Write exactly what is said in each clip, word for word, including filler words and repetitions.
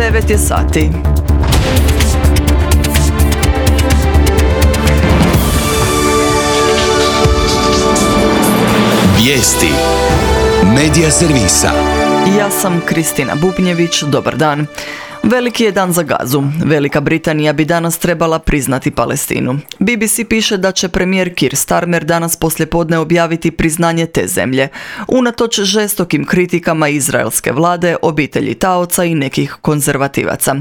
devet je sati. Vijesti Medija servisa. Ja sam Kristina Bubnjević, dobar dan. Veliki je dan za Gazu. Velika Britanija bi danas trebala priznati Palestinu. B B C piše da će premijer Keir Starmer danas poslijepodne objaviti priznanje te zemlje, unatoč žestokim kritikama izraelske vlade, obitelji taoca i nekih konzervativaca.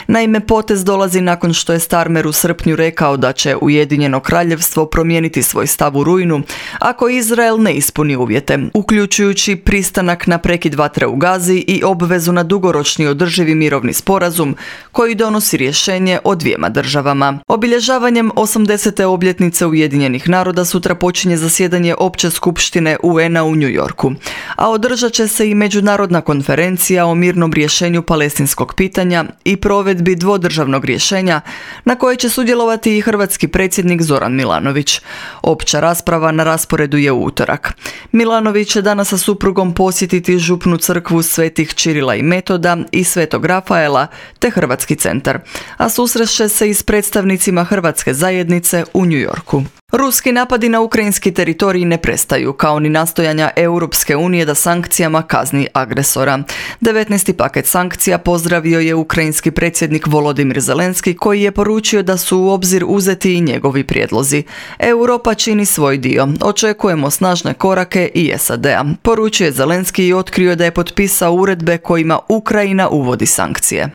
Naime, potez dolazi nakon što je Starmer u srpnju rekao da će Ujedinjeno kraljevstvo promijeniti svoj stav u rujnu ako Izrael ne ispuni uvjete, uključujući pristanak na prekid vatre u Gazi i obvezu na dugoročni održivi mirovni sporazum sporazum koji donosi rješenje o dvijema državama. Obilježavanjem osamdesete obljetnice Ujedinjenih naroda sutra počinje zasjedanje Opće skupštine U N-a u New Yorku, a održat će se i međunarodna konferencija o mirnom rješenju palestinskog pitanja i provedbi dvodržavnog rješenja na kojoj će sudjelovati i hrvatski predsjednik Zoran Milanović. Opća rasprava na rasporedu je u utorak. Milanović će danas sa suprugom posjetiti župnu crkvu Svetih Čirila i Metoda i Svetog Rafaela te Hrvatski centar, a susrešće se i s predstavnicima hrvatske zajednice u New Yorku. Ruski napadi na ukrajinski teritorij ne prestaju, kao ni nastojanja Europske unije da sankcijama kazni agresora. devetnaesti paket sankcija pozdravio je ukrajinski predsjednik Volodimir Zelenski, koji je poručio da su u obzir uzeti i njegovi prijedlozi. Europa čini svoj dio. Očekujemo snažne korake i S A D-a. Poručio je Zelenski i otkrio da je potpisao uredbe kojima Ukrajina uvodi sankcije.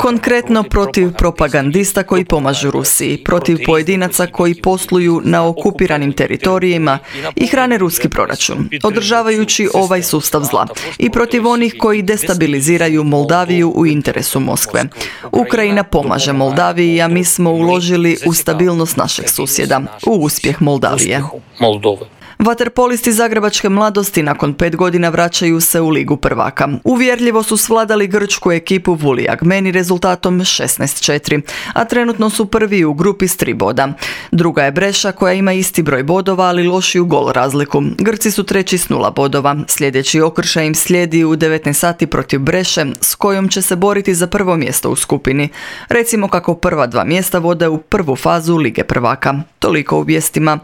Konkretno protiv propagandista koji pomažu Rusiji, protiv pojedinaca koji posluju na okupiranim teritorijima i hrane ruski proračun, održavajući ovaj sustav zla, i protiv onih koji destabiliziraju Moldaviju u interesu Moskve. Ukrajina pomaže Moldaviji, a mi smo uložili u stabilnost našeg susjeda, u uspjeh Moldavije. Vaterpolisti zagrebačke mladosti nakon pet godina vraćaju se u Ligu prvaka. Uvjerljivo su svladali grčku ekipu Vuli Agmeni rezultatom šesnaest četiri, a trenutno su prvi u grupi s tri boda. Druga je Breša koja ima isti broj bodova, ali lošiju gol razliku. Grci su treći s nula bodova. Sljedeći okršaj im slijedi u devetnaest sati protiv Breše, s kojom će se boriti za prvo mjesto u skupini. Recimo kako prva dva mjesta vode u prvu fazu Lige prvaka. Toliko u vijestima.